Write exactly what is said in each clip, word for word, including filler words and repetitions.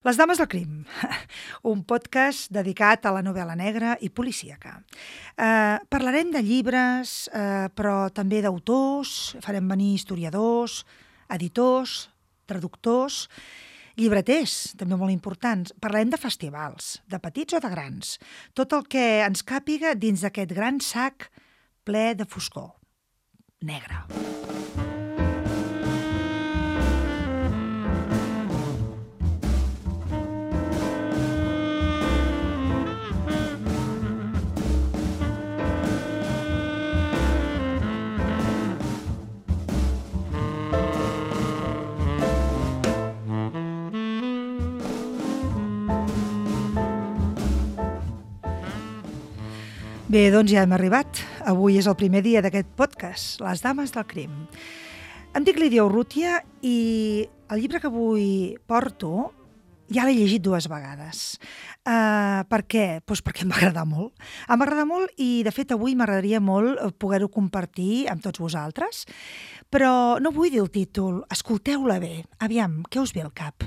Les dames del crim, un podcast dedicat a la novel·la negra i policíaca. Eh, parlarem de llibres, eh, però també d'autors, farem venir historiadors, editors, traductors, llibreters, també molt importants. Parlarem de festivals, de petits o de grans. Tot el que ens càpiga dins d'aquest gran sac ple de foscor, negre. Bé, doncs ja hem arribat. Avui és el primer dia d'aquest podcast, Les dames del crim. Em dic Lídia Urrutia i el llibre que avui porto ja l'he llegit dues vegades. Uh, per què? Pues perquè m'agrada molt. M'agrada molt i, de fet, avui m'agradaria molt poder-ho compartir amb tots vosaltres, però no vull dir el títol. Escolteu-la bé. Aviam, què us ve al cap?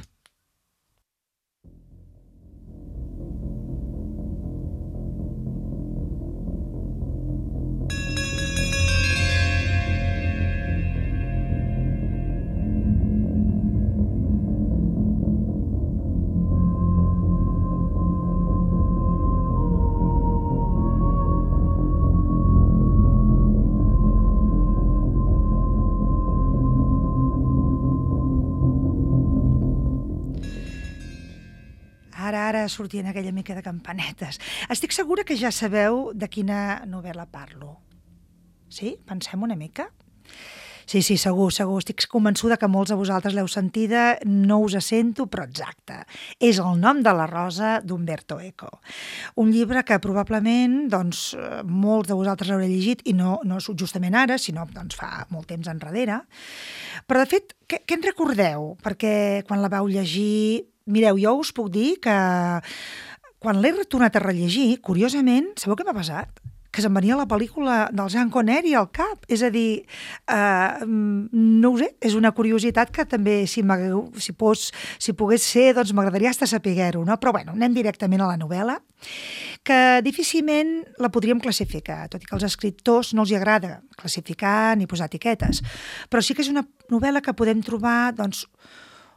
Ara, ara sortien aquella mica de campanetes. Estic segura que ja sabeu de quina novel·la parlo. Sí? Pensem una mica? Sí, sí, segur, segur. Estic convençuda que molts de vosaltres l'heu sentida, no us sento, però exacte. És El nom de la rosa d'Umberto Eco. Un llibre que probablement doncs, molts de vosaltres l'haureu llegit, i no, no justament ara, sinó doncs, fa molt temps enrere. Però, de fet, què, què en recordeu? Perquè quan la vau llegir... Mireu, jo us puc dir que quan l'he tornat a rellegir, curiosament, sabeu què m'ha passat? Que se'm venia la pel·lícula del Sean Connery al cap. És a dir, eh, no ho sé, és una curiositat que també, si, si, pos, si pogués ser, doncs m'agradaria hasta saber-ho, no? Però bueno, anem directament a la novel·la, que difícilment la podríem classificar, tot i que als escriptors no els hi agrada classificar ni posar etiquetes. Però sí que és una novel·la que podem trobar, doncs,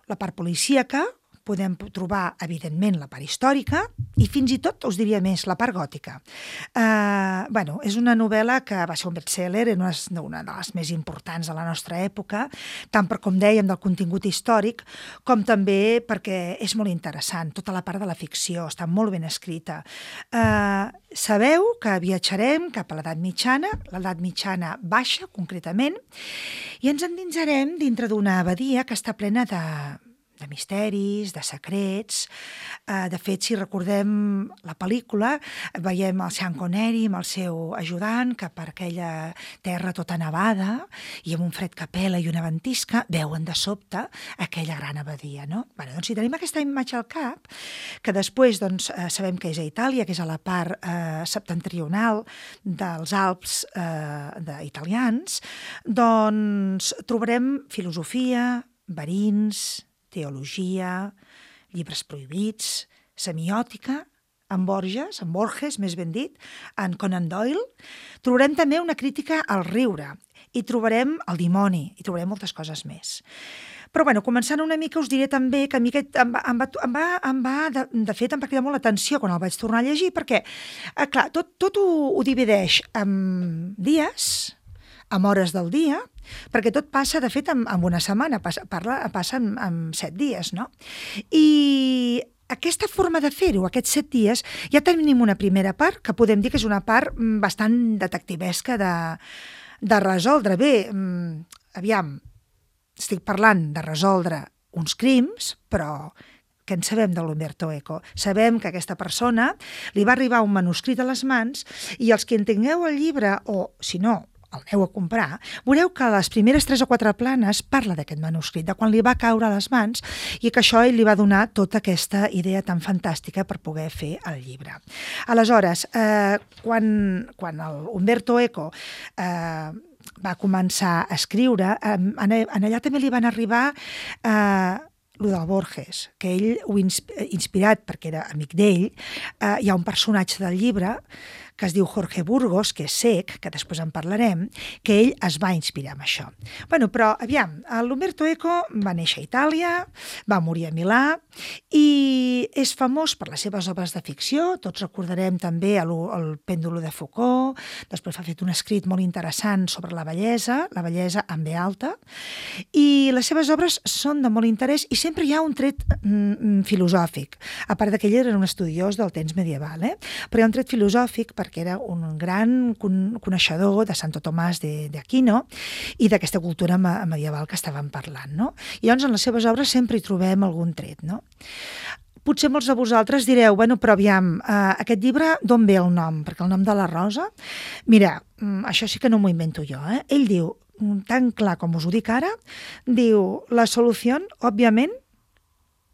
la part policíaca, podem trobar, evidentment, la part històrica i fins i tot, us diria més, la part gòtica. Eh, bueno, és una novel·la que va ser un best-seller, una, una de les més importants de la nostra època, tant per, com dèiem, del contingut històric, com també perquè és molt interessant. Tota la part de la ficció està molt ben escrita. Eh, sabeu que viatjarem cap a l'edat mitjana, l'edat mitjana baixa, concretament, i ens endinsarem dintre d'una abadia que està plena de de misteris, de secrets. De fet, si recordem la pel·lícula, veiem el Sean Connery amb el seu ajudant que per aquella terra tota nevada i amb un fred que pela i una ventisca veuen de sobte aquella gran abadia, no? Bé, doncs si tenim aquesta imatge al cap, que després doncs, sabem que és a Itàlia, que és a la part eh, septentrional dels Alps eh, italians, doncs trobarem filosofia, verins, teologia, llibres prohibits, semiòtica, en Borges, en Borges, més ben dit, en Conan Doyle. Trobarem també una crítica al riure i trobarem el dimoni i trobarem moltes coses més. Però, bueno, començant una mica, us diré també que a mi aquest em va, em va, em va, em va de, de fet, em va cridar molt l'atenció quan el vaig tornar a llegir, perquè, eh, clar, tot, tot ho, ho divideix en dies, amb hores del dia, perquè tot passa, de fet, en, en una setmana, passa, parla, passa en, en set dies, no? I aquesta forma de fer-ho, aquests set dies, ja tenim una primera part, que podem dir que és una part bastant detectivesca de, de resoldre. Bé, aviam, estic parlant de resoldre uns crims, però que en sabem de l'Umberto Eco. Sabem que aquesta persona li va arribar un manuscrit a les mans i els que en tingueu el llibre, o, si no, el aneu a comprar, veureu que a les primeres tres o quatre planes parla d'aquest manuscrit, de quan li va caure a les mans i que això ell li va donar tota aquesta idea tan fantàstica per poder fer el llibre. Aleshores, eh, quan, quan el Umberto Eco eh, va començar a escriure, en allà també li van arribar eh, lo del Borges, que ell, ho inspirat perquè era amic d'ell, eh, hi ha un personatge del llibre que es diu Jorge Burgos, que és cec, que després en parlarem, que ell es va inspirar en això. Bueno, però, aviam, l'Umberto Eco va néixer a Itàlia, va morir a Milà, i és famós per les seves obres de ficció. Tots recordarem també el, el Pèndulo de Foucault, després ha fet un escrit molt interessant sobre la bellesa, la bellesa amb B alta, i les seves obres són de molt interès i sempre hi ha un tret mm, filosòfic, a part que ell era un estudiós del temps medieval, eh? Però hi ha un tret filosòfic perquè era un gran coneixedor de Santo Tomàs d'Aquino i d'aquesta cultura medieval que estàvem parlant, no? I llavors en les seves obres sempre hi trobem algun tret, no? Potser molts de vosaltres direu, bueno, però aviam, eh, aquest llibre d'on ve el nom? Perquè el nom de la Rosa, mira, això sí que no m'ho invento jo, eh? Ell diu, tan clar com us ho dic ara, diu, la solució, òbviament,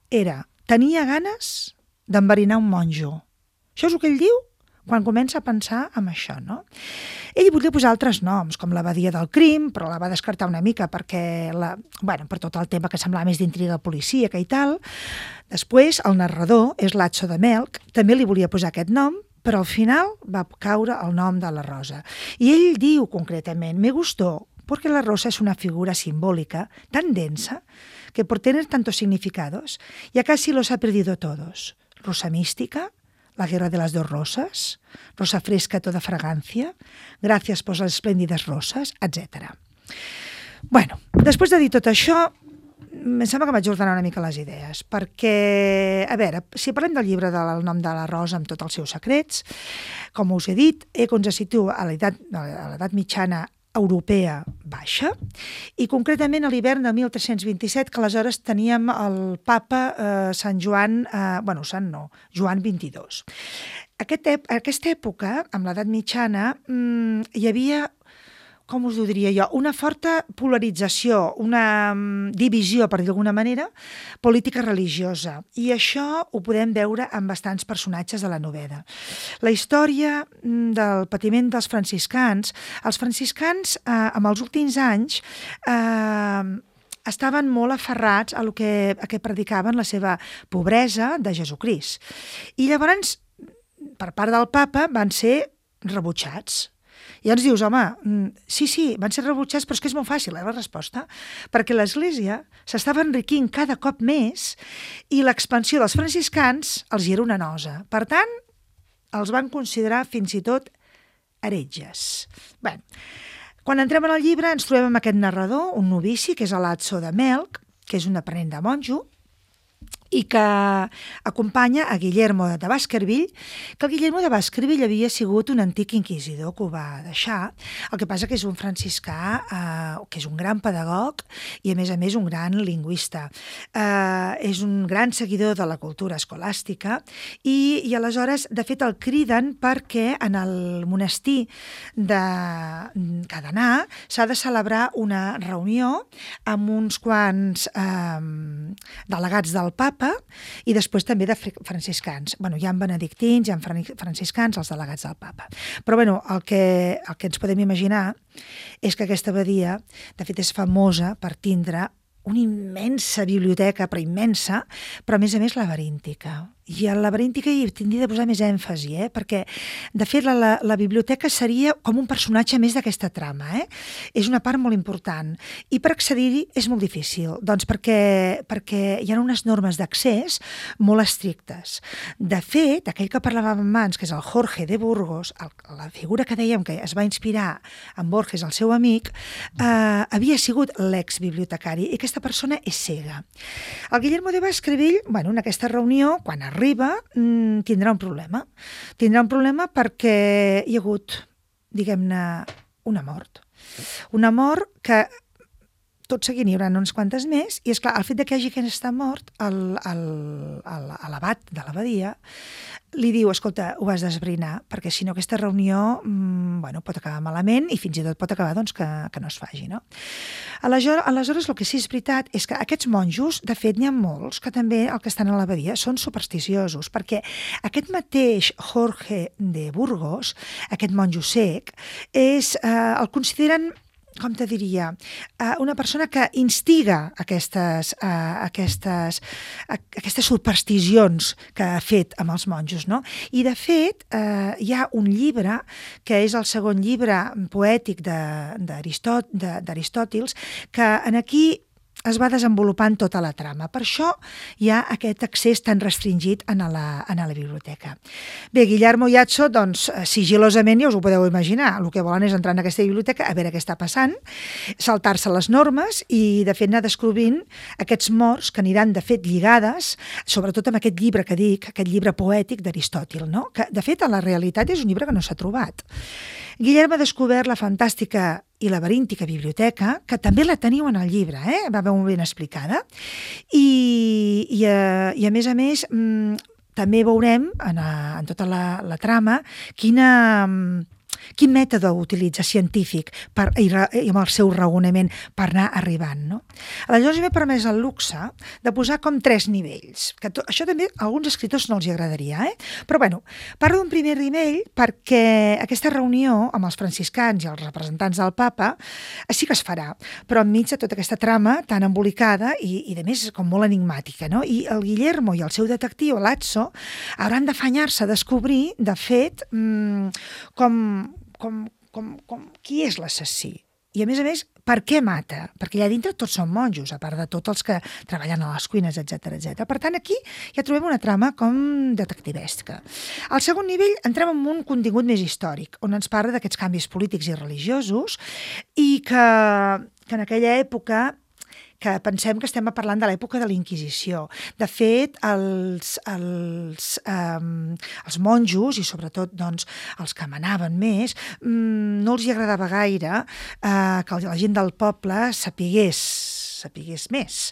era, tenia ganes d'enverinar un monjo. Això és el que ell diu quan comença a pensar en això, no? Ell volia posar altres noms, com l'abadia del crim, però la va descartar una mica perquè, la, bueno, per tot el tema que semblava més d'intriga policíaca i tal. Després, el narrador, és Lazzo de Melc, també li volia posar aquest nom, però al final va caure el nom de la Rosa. I ell diu concretament, me gustó, porque la rosa es una figura simbólica tan densa que por tener tantos significados ya casi los ha perdido todos. Rosa mística, la guerra de las dos rosas, rosa fresca toda fragancia, gracias por las esplèndides rosas, etcètera. Bueno, després de dir tot això, em sembla que vaig ordenar una mica les idees, perquè, a veure, si parlem del llibre del nom de la Rosa amb tots els seus secrets, com us he dit, Eco ens situa a l'edat mitjana europea baixa, i concretament a l'hivern de mil tres-cents vint-i-set, que aleshores teníem el papa eh, Sant Joan, eh, bueno, Sant no, Joan vint-i-dos. Aquest, aquesta època, amb l'edat mitjana, mmm, hi havia, com us ho diria jo, una forta polarització, una divisió, per dir d'alguna manera, política religiosa. I això ho podem veure en bastants personatges de la novel·la. La història del patiment dels franciscans, els franciscans, eh, en els últims anys, eh, estaven molt aferrats a lo que, a que predicaven la seva pobresa de Jesucrist. I llavors, per part del papa, van ser rebutjats. I ens dius, home, sí, sí, van ser rebutjats, però és que és molt fàcil, eh, la resposta, perquè l'Església s'estava enriquint cada cop més i l'expansió dels franciscans els hi era una nosa. Per tant, els van considerar fins i tot heretges. Bé, quan entrem en el llibre ens trobem amb aquest narrador, un novici, que és Lazzo de Melc, que és un aprenent de monjo, i que acompanya a Guillermo de Baskerville, que el Guillermo de Baskerville havia sigut un antic inquisidor que ho va deixar. El que passa que és un franciscà, eh, que és un gran pedagog i, a més a més, un gran lingüista. Eh, és un gran seguidor de la cultura escolàstica i, i aleshores, de fet, el criden perquè en el monestir de Cadenà s'ha de celebrar una reunió amb uns quants eh, delegats del papa i després també de franciscans. Bueno, hi ha benedictins, hi ha franciscans, els delegats del papa. Però bueno, el que, el que ens podem imaginar és que aquesta abadia, de fet, és famosa per tindre una immensa biblioteca, però immensa, però a més a més laberíntica. I a la laberíntica hi tindria de posar més èmfasi, eh? Perquè, de fet, la, la, la biblioteca seria com un personatge més d'aquesta trama. Eh? És una part molt important. I per accedir-hi és molt difícil, doncs perquè, perquè hi ha unes normes d'accés molt estrictes. De fet, aquell que parlàvem abans, que és el Jorge de Burgos, el, la figura que dèiem que es va inspirar en Borges, el seu amic, eh, havia sigut l'exbibliotecari, i aquesta persona és cega. El Guillermo de Baskerville, bueno, en aquesta reunió, quan arriba, tindrà un problema. Tindrà un problema perquè hi ha hagut, diguem-ne, una mort. Una mort que tot seguint hi haurà uns quantes més, i és clar, el fet que hi hagi aquesta mort, l'abat de l'abadia li diu, escolta, ho has d'esbrinar, perquè si no aquesta reunió mmm, bueno, pot acabar malament i fins i tot pot acabar doncs, que, que no es faci. No? Aleshores, aleshores, el que sí és veritat és que aquests monjos, de fet, n'hi ha molts que també el que estan a l'abadia són supersticiosos, perquè aquest mateix Jorge de Burgos, aquest monjo cec, és, eh, el consideren com te diria, uh, una persona que instiga aquestes, uh, aquestes, uh, aquestes supersticions que ha fet amb els monjos, no? I, de fet, uh, hi ha un llibre, que és el segon llibre poètic d'Aristòtils, que en aquí es va desenvolupant tota la trama. Per això hi ha aquest accés tan restringit a la, a la biblioteca. Bé, Guillermo i Azzo, doncs, sigilosament, ja us ho podeu imaginar, el que volen és entrar en aquesta biblioteca, a veure què està passant, saltar-se les normes i, de fet, anar descobrint aquests morts que aniran, de fet, lligades, sobretot amb aquest llibre que dic, aquest llibre poètic d'Aristòtil, no? Que, de fet, a la realitat és un llibre que no s'ha trobat. Guillermo ha descobert la fantàstica i laberíntica biblioteca, que també la teniu en el llibre, eh? Va ben ben explicada, i, i, a, i a més a més mmm, també veurem en, a, en tota la, la trama quina... quin mètode utilitza científic per, i, i amb el seu raonament per anar arribant, no? Aleshores m'he permès el luxe de posar com tres nivells, que to, això també a alguns escriptors no els hi agradaria, eh? Però bueno, parlo d'un primer nivell perquè aquesta reunió amb els franciscans i els representants del papa sí que es farà, però enmig de tota aquesta trama tan embolicada i, i de més com molt enigmàtica, no? I el Guillermo i el seu detectiu, l'Azzo, hauran d'afanyar-se a descobrir, de fet, mmm, com Com, com, com, qui és l'assassí. I, a més a més, per què mata? Perquè allà dintre tots són monjos, a part de tots els que treballen a les cuines, etcètera, etcètera. Per tant, aquí ja trobem una trama com detectivesca. Al segon nivell entrem en un contingut més històric, on ens parla d'aquests canvis polítics i religiosos i que, que en aquella època que pensem que estem parlant de l'època de la Inquisició. De fet, els, els, um, els monjos, i sobretot doncs, els que manaven més, um, no els hi agradava gaire uh, que la gent del poble sapigués, sapigués més.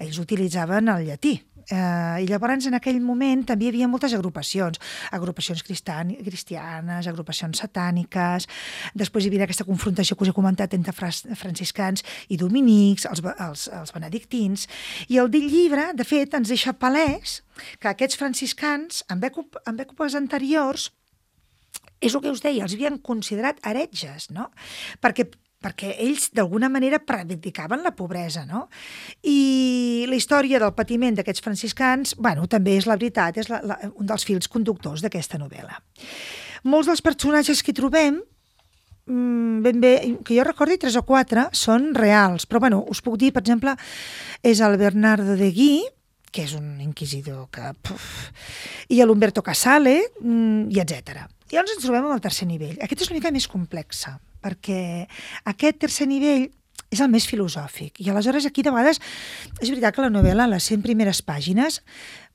Ells utilitzaven el llatí. Uh, I llavors en aquell moment també hi havia moltes agrupacions, agrupacions cristianes, agrupacions satàniques, després hi havia aquesta confrontació que us he comentat entre franciscans i dominics, els, els, els benedictins, i el dit llibre, de fet, ens deixa palès que aquests franciscans, en èpoques anteriors, és el que us deia, els havien considerat heretges, no? Perquè perquè ells d'alguna manera predicaven la pobresa, no? I la història del patiment d'aquests franciscans, bueno, també és la veritat, és la, la, un dels fils conductors d'aquesta novel·la. Molts dels personatges que hi trobem, ben bé, que jo recordi tres o quatre, són reals, però bueno, us puc dir, per exemple, és el Bernardo de Guí, que és un inquisidor que... Puf, i l'Umberto Casale, i etcètera. I llavors ens trobem amb el tercer nivell. Aquest és una mica més complexa, perquè aquest tercer nivell és el més filosòfic. I aleshores aquí de vegades és veritat que la novel·la, les cent primeres pàgines,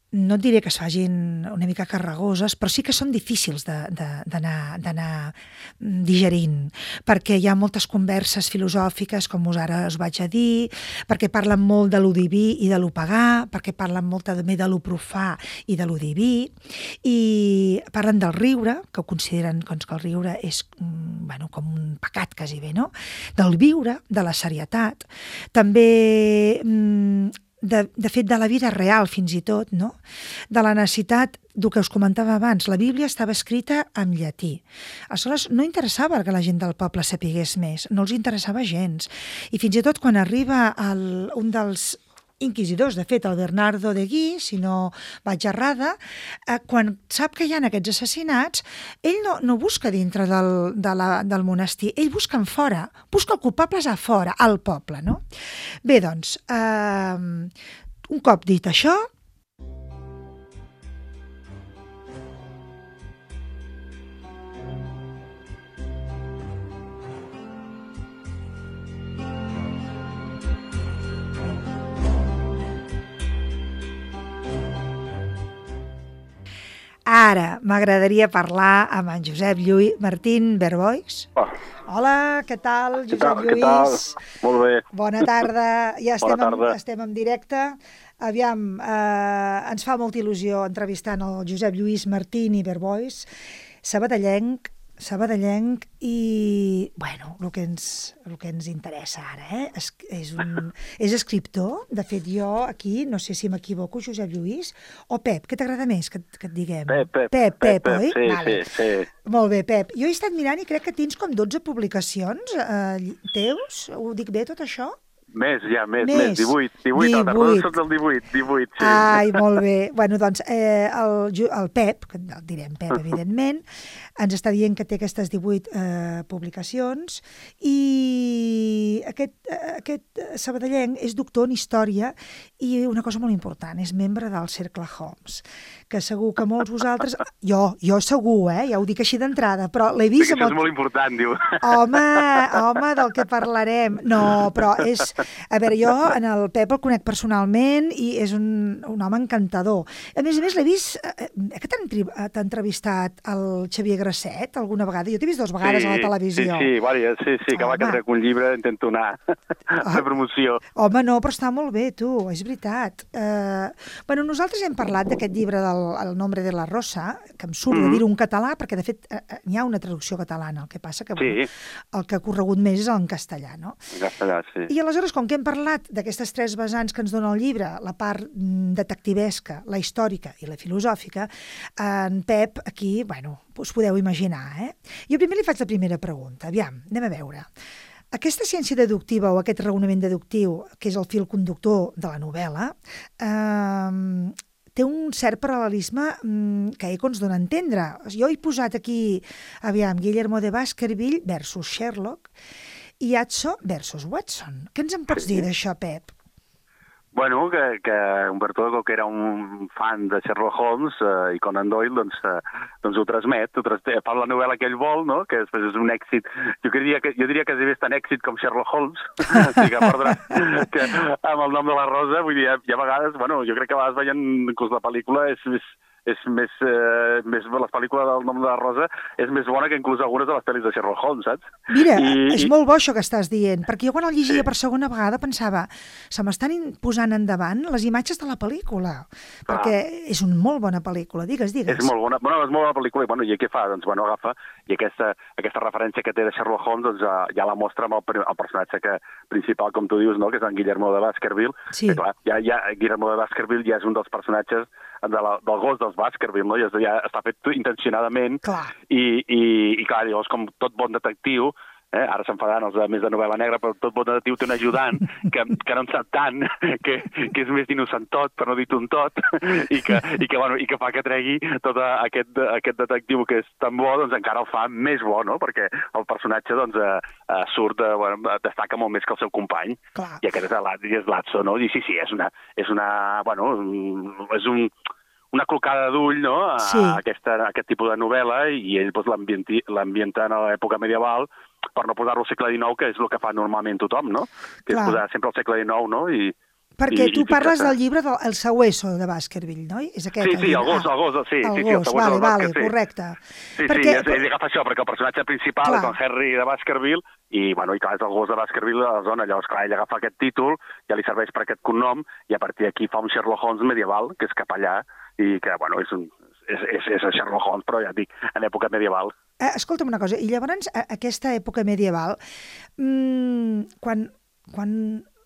no et diré que es facin una mica carregoses, però sí que són difícils d'anar digerint, perquè hi ha moltes converses filosòfiques, com us ara us vaig a dir, perquè parlen molt de lo diví i de lo pagà, perquè parlen molt també de lo profà i de lo diví, i parlen del riure, que ho consideren doncs, que el riure és bueno, com un pecat quasi bé, no? Del viure, de la serietat, també... De, de fet, de la vida real, fins i tot, no? De la necessitat del que us comentava abans. La Bíblia estava escrita en llatí. Aleshores, no interessava que la gent del poble sapigués més, no els interessava gens. I fins i tot quan arriba el, un dels inquisidors, de fet, el Bernardo de Guí, si no vaig errada, eh, quan sap que hi ha aquests assassinats, ell no, no busca dintre del, de la, del monestir, ell busca en fora, busca el culpables a fora, al poble, no? Bé, doncs, eh, un cop dit això, ara m'agradaria parlar amb en Josep Lluís Martín Verboix. Oh. Hola, què tal, Josep què tal, Lluís? Què tal? Molt bé. Bona tarda. Ja estem, Bona tarda. En, estem en directe. Aviam, eh, ens fa molta il·lusió entrevistant el Josep Lluís Martín i Verboix, sabadellenc, sabadellenc i, bueno, el que ens, el que ens interessa ara, eh? És, és, un, és escriptor. De fet, jo aquí, no sé si m'equivoco, Josep Lluís, o Pep, què t'agrada més que, que et diguem? Pep, Pep. Pep, Pep, Pep, oi? sí, Vale. sí, sí. Molt bé, Pep. Jo he estat mirant i crec que tens com dotze publicacions eh, teus. Ho dic bé, tot això? Més, ja, més, més. més, divuit. divuit, el darrere són del divuit, divuit, sí. Ai, molt bé. Bueno, doncs, eh, el, el Pep, que el direm Pep, evidentment, ens està dient que té aquestes divuit eh, publicacions i aquest, aquest sabadellenc és doctor en història i una cosa molt important, és membre del Cercle Holmes, que segur que molts vosaltres... Jo, jo segur, eh? Ja ho dic així d'entrada, però l'he vist... Sí, això amb el... és molt important, diu. Home, home, del que parlarem. No, però és... A veure, jo en el Pep el conec personalment i és un, un home encantador. A més a més, l'he vist... Eh, que t'ha entrevistat el Xavier Grasset alguna vegada? Jo t'he vist dues vegades sí, a la televisió. Sí, sí, vàries, sí, sí, que va que trec un llibre, intento anar a fer promoció. Home, no, però està molt bé, tu, és veritat. Eh, bueno, nosaltres hem parlat d'aquest llibre del El nombre de la rosa, que em surt mm -hmm. de dir-ho en català, perquè de fet eh, hi ha una traducció catalana, el que passa que bueno, sí. el que ha corregut més és en castellà, no? En castellà, sí. I aleshores, com que hem parlat d'aquestes tres vessants que ens dona el llibre, la part detectivesca, la històrica i la filosòfica, en Pep aquí, bueno, us podeu imaginar, eh? Jo primer li faig la primera pregunta. Aviam, anem a veure. Aquesta ciència deductiva o aquest raonament deductiu, que és el fil conductor de la novel·la, eh, té un cert paral·lelisme mm, que Eco ens dona a entendre. Jo he posat aquí, aviam, Guillermo de Baskerville versus Sherlock i Atso versus Watson. Què ens en pots dir d'això, Pep? Bueno, que, que Humberto Eco, que era un fan de Sherlock Holmes eh, i Conan Doyle, doncs, eh, doncs ho transmet, ho transmet, fa la novel·la que ell vol, no? Que després és un èxit. Jo diria que, jo diria que és tan èxit com Sherlock Holmes, que, perdrà, que amb el nom de la Rosa, vull dir, hi ha vegades, bueno, jo crec que a vegades veient inclús la pel·lícula és més... és més, eh, més... Les pel·lícules del nom de la Rosa és més bona que inclús algunes de les pel·lis de Sherlock Holmes, saps? Mira, I, és i... molt bo això que estàs dient, perquè jo quan el llegia sí. per segona vegada pensava se m'estan posant endavant les imatges de la pel·lícula, Clar. perquè és una molt bona pel·lícula, digues, digues. És molt bona, bueno, és molt bona pel·lícula, i, bueno, i què fa? Doncs, bueno, agafa, i aquesta, aquesta referència que té de Sherlock Holmes, doncs, ja la mostra amb el, el personatge que, principal, com tu dius, no?, que és en Guillermo de Baskerville. Sí. Que, clar, ja, ja, Guillermo de Baskerville ja és un dels personatges de la, del gos dels Baskerville, no? Ja, ja està fet intencionadament. Clar. I, i, i clar, llavors, com tot bon detectiu, eh, ara s'enfadaran els de més de novel·la negra, però tot bon detectiu té un ajudant que, que no en sap tant, que, que és més d'innocentot, per no dir un tot, i que, i, que, bueno, i que fa que tregui tot aquest, aquest detectiu que és tan bo, doncs encara el fa més bo, no? Perquè el personatge doncs, eh, eh, surt, eh, bueno, destaca molt més que el seu company. Clar. I aquest és l'Atso, no? I sí, sí, és una, és una, bueno, és un... una clocada d'ull, no?, a, sí. a, aquesta, a aquest tipus de novel·la, i ell doncs, l'ambienta en l'època medieval per no posar-lo al segle dinou, que és el que fa normalment tothom, no? Que Clar. és posar sempre al segle dinou, no? I, Perquè i, tu i parles que... del llibre del El Sabueso de Baskerville, no? És aquest, sí, sí, el gos, ah, el gos, sí. El sí, gos, sí, el vale, vale, sí. correcte. Sí, perquè... sí, ell agafa això, perquè el personatge principal clar. és el Henry de Baskerville, i, bueno, i clar, és el gos de Baskerville de la zona. Llavors, clar, ell agafa aquest títol, ja li serveix per aquest cognom, i a partir d'aquí fa un Sherlock Holmes medieval, que és cap allà, i que, bueno, és un... És, és, és el Sherlock Holmes, però ja et dic, en època medieval. Eh, escolta'm una cosa, i llavors, a, aquesta època medieval, mmm, quan, quan,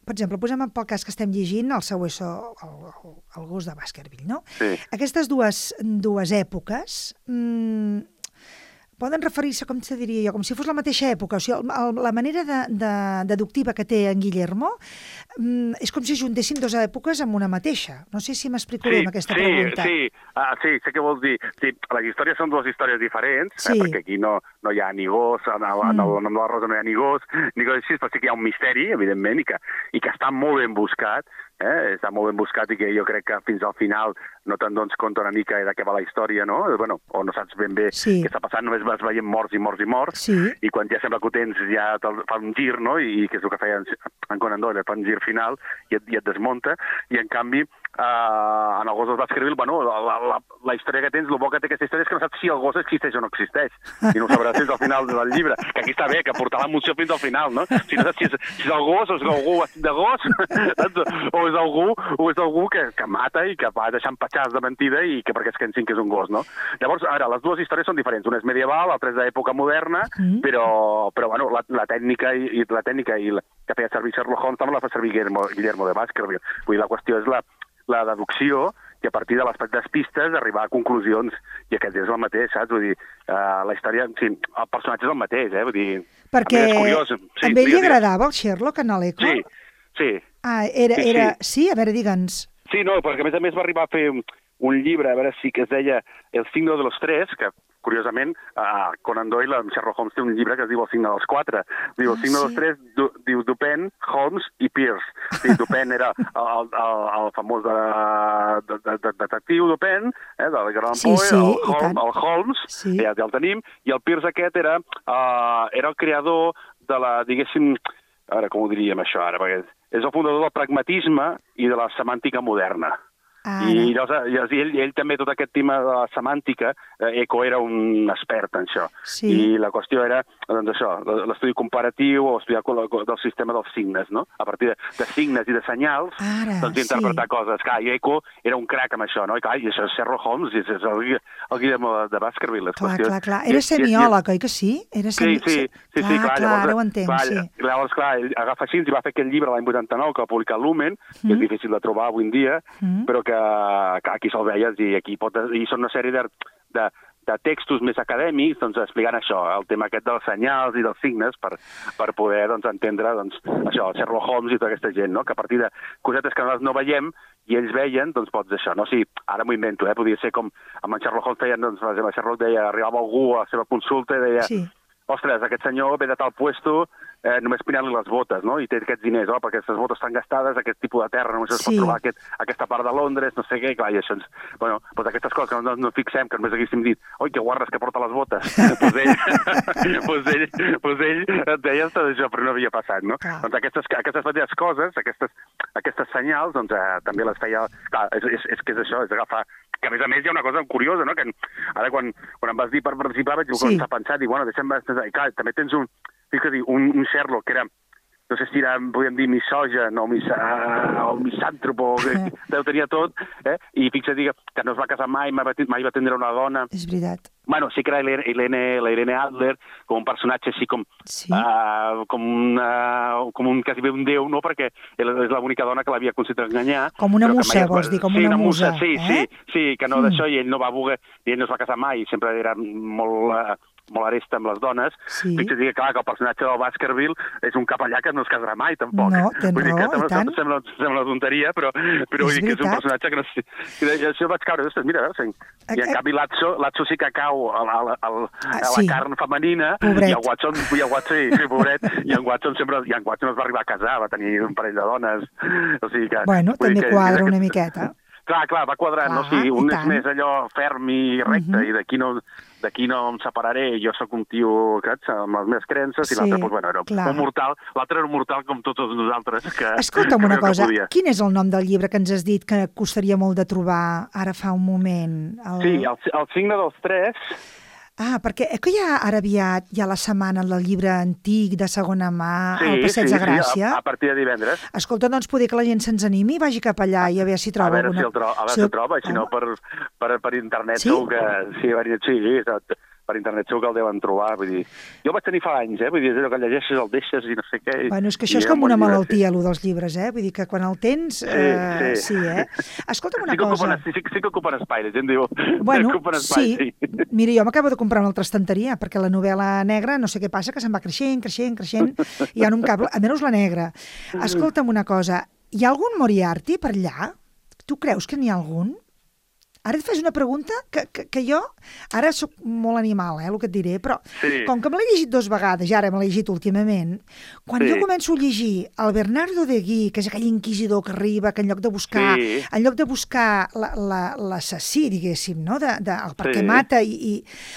per exemple, posem pel cas que estem llegint el Sabueso, el, el, el gos de Baskerville, no? Sí. Aquestes dues, dues èpoques mmm, poden referir-se, com te diria jo, com si fos la mateixa època. O sigui, el, el, la manera de, de, deductiva que té en Guillermo mm, és com si juntéssim dues èpoques amb una mateixa. No sé si m'explico bé sí, amb aquesta sí, pregunta. Sí, ah, sí, sé què vols dir. Sí, les històries són dues històries diferents, sí. eh, perquè aquí no, no hi ha ni gos, en el, mm. en el nom de la Rosa no hi ha ni gos, ni gos així, però sí que hi ha un misteri, evidentment, i que, i que està molt ben buscat, eh? Està molt ben buscat i que jo crec que fins al final no te'n dones compte una mica de què va la història, no? Bueno, o no saps ben bé sí. què està passant, només vas veient morts i morts i morts, sí. i quan ja sembla que ho tens ja fa un gir, no? I, i que és el que feia en Conan Doyle, fa un gir final i et, i et desmunta, i en canvi uh, en el gos dels Baskerville, bueno, la, la, la història que tens, el bo que té aquesta història és que no saps si el gos existeix o no existeix. I no ho sabràs fins al final del llibre. Que aquí està bé, que portar l'emoció fins al final, no? Si no saps si és, si és el gos o és algú vestit de gos, o és algú, o és algú que, que mata i que va deixant petjars de mentida i que perquè es pensin que és un gos, no? Llavors, ara, les dues històries són diferents. Una és medieval, l'altra és d'època moderna, mm. però, però bueno, la, la tècnica i, i la tècnica i la, que feia servir Sherlock Holmes també la fa servir Guillermo, Guillermo de Baskerville. Vull dir, la qüestió és la, la deducció i a partir de les petites pistes arribar a conclusions, i aquest és el mateix, saps? Vull dir, uh, la història, sí, el personatge és el mateix, eh? Vull dir, perquè és curiós. Sí, a ell li agradava el Sherlock en l'Eco? Sí, sí. Ah, era, sí, era... sí. Sí, a veure, digue'ns. Sí, no, perquè a més a més va arribar a fer un llibre, a veure si que es deia El signo de los tres, que curiosament, uh, Conan Doyle, amb Sherlock Holmes, té un llibre que es diu El signe dels quatre. Diu, el signe ah, sí? dels tres, du, diu Dupin, Holmes i Pierce. Sí, Dupin era el, el, el famós de, de, de, de detectiu Dupin, eh, del Gran sí, Poe, sí, el, Holmes, el Holmes, sí. ja, ja el tenim, i el Pierce aquest era, uh, era el creador de la, diguéssim, a veure com ho diríem això ara, perquè és el fundador del pragmatisme i de la semàntica moderna. Ara. I llavors, ell, ell també, tot aquest tema de la semàntica, eh, Eco era un expert en això. Sí. I la qüestió era, doncs això, l'estudi comparatiu o estudiar del sistema dels signes, no? A partir de, de signes i de senyals, Ara, doncs interpretar sí. coses. Clar, i Eco era un crac amb això, no? I clar, i això és Sherlock Holmes, i és el, el Guillermo de Baskerville. Clar, clar, clar. Era semiòleg, oi que sí? Era semi... Sí, sí, sí, clar, sí, clar, clar, llavors, ara ho entenc, clar, sí. Llavors, clar, ell agafa així i va fer aquest llibre l'any vuitanta-nou, que va publicar Lumen, mm. que és difícil de trobar avui en dia, mm. però que, que aquí se'l veies i aquí pot... I són una sèrie de, de, de textos més acadèmics, doncs, explicant això, el tema aquest dels senyals i dels signes, per, per poder, doncs, entendre, doncs, això, el Sherlock Holmes i tota aquesta gent, no? Que a partir de cosetes que nosaltres no veiem i ells veien, doncs pots això, no? Sí, ara m'ho invento, eh? Podria ser com amb en Sherlock Holmes feien, doncs, per exemple, Sherlock deia, arribava algú a la seva consulta i deia... Sí. Ostres, aquest senyor ve de tal puesto, eh, només pinant-li les botes, no? I té aquests diners, oh, perquè aquestes botes estan gastades, aquest tipus de terra només sí. es pot trobar aquest, aquesta part de Londres, no sé què, i clar, i això ens... Bueno, doncs aquestes coses que no, no fixem, que només haguéssim dit, oi, que guarres que porta les botes. Doncs ell, pues ell, pues ell et deia tot això, però no havia passat, no? Ah. Doncs aquestes, aquestes petites coses, aquestes, aquestes senyals, doncs eh, també les feia... Clar, és, és, és que és això, és agafar... Que a més a més hi ha una cosa curiosa, no? Que ara quan, quan em vas dir per participar vaig sí. començar a pensar, dic, bueno, deixa'm... I clar, també tens un, un, un Sherlock que era, no sé si era, podríem dir, misogen o, misa, o misàntropo, que ho tenia tot, eh? I fixa't que no es va casar mai, mai va, mai va tindre una dona. És veritat. Bueno, sí que era Irene, la Irene Adler, com un personatge així com, sí. uh, com, uh, com un, quasi bé un déu, no? Perquè és l'única dona que l'havia aconseguit enganyar. Com una musa, vols dir, com sí, una musa. musa. Sí, eh? sí, sí, que no mm. d'això, i ell no va voler, i ell no es va casar mai, sempre era molt... Uh, molt aresta amb les dones, sí. Fixa't que, clar, que el personatge del Baskerville és un capellà que no es casarà mai, tampoc. No, tens vull dir raó, que i tant. Sembla, sembla una tonteria, però, però vull dir que és un personatge que no... I això vaig caure, ostres, mira, veus, i en canvi Lazzo, Lazzo sí que cau a la, a, a, a la sí. carn femenina, pobret. I el Watson, i el Watson, sí, sí, pobret, i en Watson sempre, i en Watson es va arribar a casar, va tenir un parell de dones, o sigui que... Bueno, també que, quadra que, una miqueta. Clar, clar, va quadrant, clar, no? O sigui, un és més allò ferm i recte, uh -huh. i d'aquí no... d'aquí no em separaré, jo sóc un tio saps, amb les meves creences, sí, i l'altre, doncs, bueno, era clar. un mortal, l'altre era un mortal com tots nosaltres. Que, Escolta'm que una cosa, que quin és el nom del llibre que ens has dit que costaria molt de trobar ara fa un moment? El... Sí, el, el signe dels tres... Ah, perquè és que ja ara aviat hi ha la setmana del llibre antic de segona mà sí, al Passeig sí, de Gràcia. Sí, a, a partir de divendres. Escolta, doncs poder que la gent se'ns animi i vagi cap allà i a veure si troba a veure alguna... Si el tro... A veure si el troba, si no per, per, per internet sí? segur que... Sí, sí, exacte. Per internet segur que el deuen trobar, vull dir... Jo el vaig tenir fa anys, eh? Vull dir, és allò que llegeixes, el deixes i no sé què... Bueno, és que això és com una malaltia, allò dels llibres, eh? Vull dir que quan el tens... Sí, eh, sí. sí, eh? Escolta'm una sí cosa... Ocupen, sí, sí que ocupen espai, la gent diu... Bueno, espai, sí. sí. Mira, jo m'acabo de comprar una altra estanteria, perquè la novel·la negra, no sé què passa, que se'n va creixent, creixent, creixent, i ja no em cap... Almenys la negra. Escolta'm una cosa, hi ha algun Moriarty per allà? Tu creus que n'hi ha algun? ara et fas una pregunta que, que, que jo, ara sóc molt animal, eh, el que et diré, però sí. com que me l'he llegit dos vegades, i ara me l'he llegit últimament, quan sí. jo començo a llegir el Bernardo de Guí, que és aquell inquisidor que arriba, que en lloc de buscar, sí. en lloc de buscar l'assassí, diguéssim, no? de, de, el per què sí. mata i, i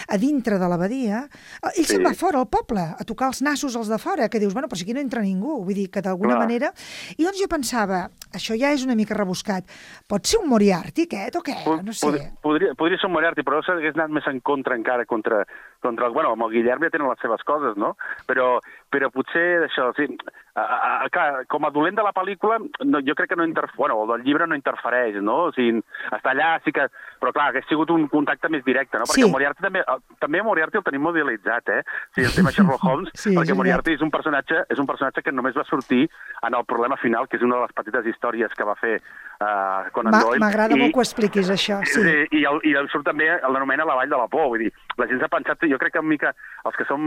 a dintre de l'abadia, ell sí. se'n va fora al poble, a tocar els nassos als de fora, que dius, bueno, però si aquí no entra ningú, vull dir que d'alguna manera... I doncs jo pensava, això ja és una mica rebuscat, pot ser un Moriarty aquest o què? No sé. Podria, podria ser un Moriarty, però s'hagués anat més en contra encara contra... contra bueno, amb el Guillem ja tenen les seves coses, no? Però, però potser això, sí, a, a, a, clar, com a dolent de la pel·lícula, no, jo crec que no interfereix, bueno, el del llibre no interfereix, no? O sigui, està allà, sí que... Però clar, hagués sigut un contacte més directe, no? Perquè sí. el Moriarty també, també Moriarty el tenim modelitzat, eh? O sigui, el tema Sherlock Holmes, sí, perquè Moriarty és un personatge és un personatge que només va sortir en el problema final, que és una de les petites històries que va fer uh, Conan Doyle. M'agrada molt que ho expliquis, això, sí. I, i, el, i el surt també, l'anomena la Vall de la Por, vull dir, la gent s'ha pensat, jo crec que una mica, els que som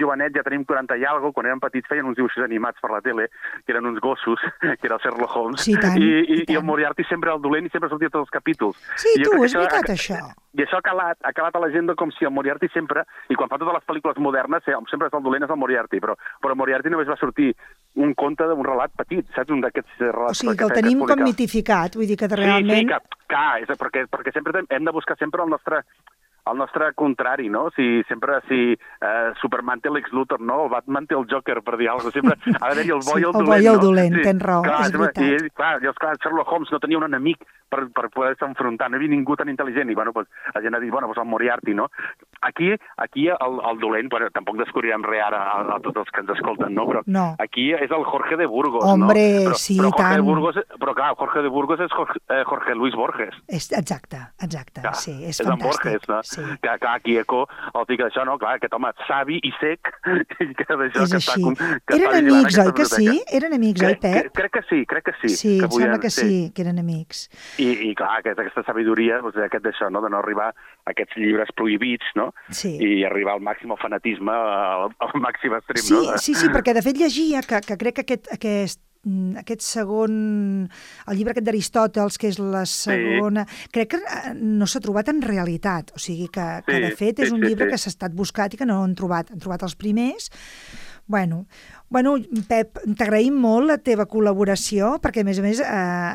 jovenets, ja tenim quaranta i alguna cosa, quan érem petits feien uns dibuixos animats per la tele, que eren uns gossos, que era el Sherlock Holmes, sí, tant, i, i, i, i el Moriarty sempre era el dolent i sempre sortia tots els capítols. Sí, I tu, és veritat, això. I això ha calat, ha calat a la gent com si el Moriarty sempre, i quan fa totes les pel·lícules modernes, sempre és el dolent, és el Moriarty, però, però Moriarty només va sortir un conte d'un relat petit, saps? Un d'aquests relats... O sigui, que el tenim com mitificat, vull dir que realment... Sí, sí, que, clar, és perquè, perquè sempre hem de buscar sempre el nostre... el nostre contrari, no? Si sempre, si uh, Superman té l'Ex Luthor, no? El Batman té el Joker, per dir alguna cosa. Sempre ha d'haver-hi el bo sí, i el dolent, no? El bo i el dolent, sí, tens raó, clar, és veritat. I, clar, llavors, clar, Sherlock Holmes no tenia un enemic per, per poder-se enfrontar, no hi havia ningú tan intel·ligent, i bueno, pues, la gent ha dit, bueno, pues el Moriarty, no? Aquí, aquí el, el dolent, bueno, tampoc descobrirem res ara a, a tots els que ens escolten, no? Però no. aquí és el Jorge de Burgos, Hombre, no? Però, sí, però Jorge tant. De Burgos, però clar, Jorge de Burgos és Jorge, eh, Jorge Luis Borges. És, exacte, exacte, clar, sí, és, és fantàstic. Borges, no? Sí. Que, clar, aquí Eco, el tic d'això, no? Clar, aquest home savi i sec, i que d'això és que així. està... Que eren amics, oi que sí? Eren amics, oi, Pep? Crec que sí, crec que sí. Sí, que em sembla que sí, que eren amics. I, i clar, aquesta, aquesta sabidoria, doncs, aquest d'això, no? De no arribar a aquests llibres prohibits, no? Sí. I arribar al màxim al fanatisme, al, al màxim extrem, sí, no? Sí, sí, perquè de fet llegia que, que crec que aquest, aquest aquest segon, el llibre aquest d'Aristòtels, que és la segona, sí. crec que no s'ha trobat en realitat, o sigui que, sí, que de fet és un sí, llibre sí. que s'ha estat buscat i que no han trobat, han trobat els primers. Bueno, bueno, Pep, t'agraïm molt la teva col·laboració, perquè a més a més eh,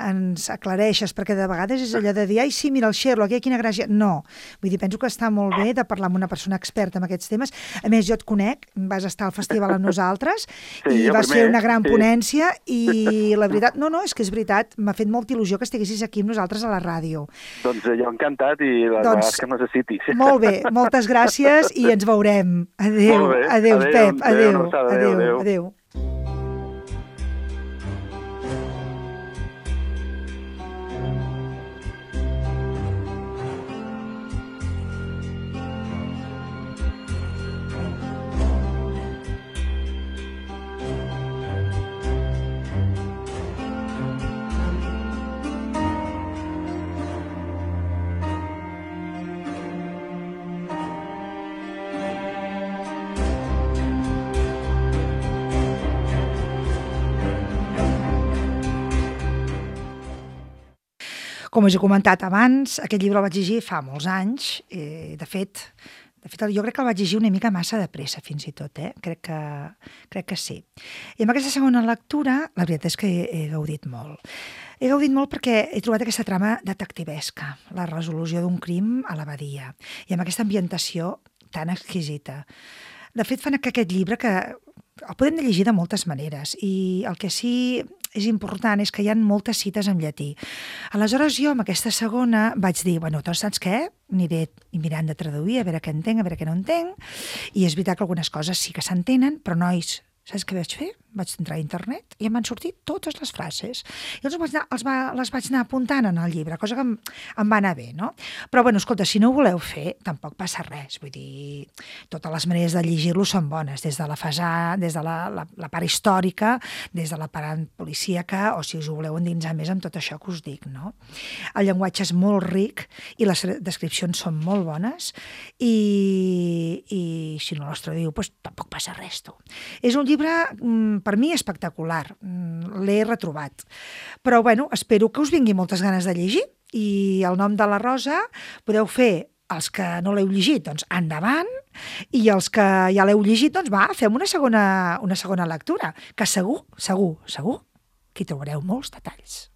ens aclareixes, perquè de vegades és allò de dir, ai sí, mira el Sherlock, ai, quina gràcia. No, vull dir, penso que està molt bé de parlar amb una persona experta en aquests temes. A més, jo et conec, vas estar al festival amb nosaltres sí, i vas primer, fer una gran sí. ponència i la veritat, no, no, és que és veritat, m'ha fet molta il·lusió que estiguessis aquí amb nosaltres a la ràdio. Doncs jo encantat i les doncs, vegades que necessitis. Molt bé, moltes gràcies i ens veurem. Adéu, adéu, adéu, Pep, adéu. adéu. Adéu, adéu. adéu. Com us he comentat abans, aquest llibre el vaig llegir fa molts anys. Eh, de fet, de fet, jo crec que el vaig llegir una mica massa de pressa, fins i tot. Eh? Crec que, crec que sí. I amb aquesta segona lectura, la veritat és que he, he gaudit molt. He gaudit molt perquè he trobat aquesta trama detectivesca, la resolució d'un crim a l'abadia, i amb aquesta ambientació tan exquisita. De fet, fan que aquest llibre, que el podem llegir de moltes maneres, i el que sí és important és que hi ha moltes cites en llatí. Aleshores jo amb aquesta segona vaig dir, bueno, doncs saps què? Aniré mirant de traduir, a veure què entenc, a veure què no entenc, i és veritat que algunes coses sí que s'entenen, però nois, saps què vaig fer? Vaig entrar a internet i em van sortir totes les frases. I els vaig anar, els va, les vaig anar apuntant en el llibre, cosa que em, em va anar bé, no? Però, bueno, escolta, si no ho voleu fer, tampoc passa res. Vull dir, totes les maneres de llegir-lo són bones, des de la fasà, des de la, la, la part històrica, des de la part policíaca, o si us ho voleu endinsar més amb tot això que us dic, no? El llenguatge és molt ric i les descripcions són molt bones i, i si no les traduïu, doncs tampoc passa res, tu. És un llibre llibre, per mi, espectacular. L'he retrobat. Però, bueno, espero que us vingui moltes ganes de llegir. I El nom de la Rosa podeu fer, els que no l'heu llegit, doncs endavant, i els que ja l'heu llegit, doncs va, fem una segona, una segona lectura, que segur, segur, segur, que hi trobareu molts detalls.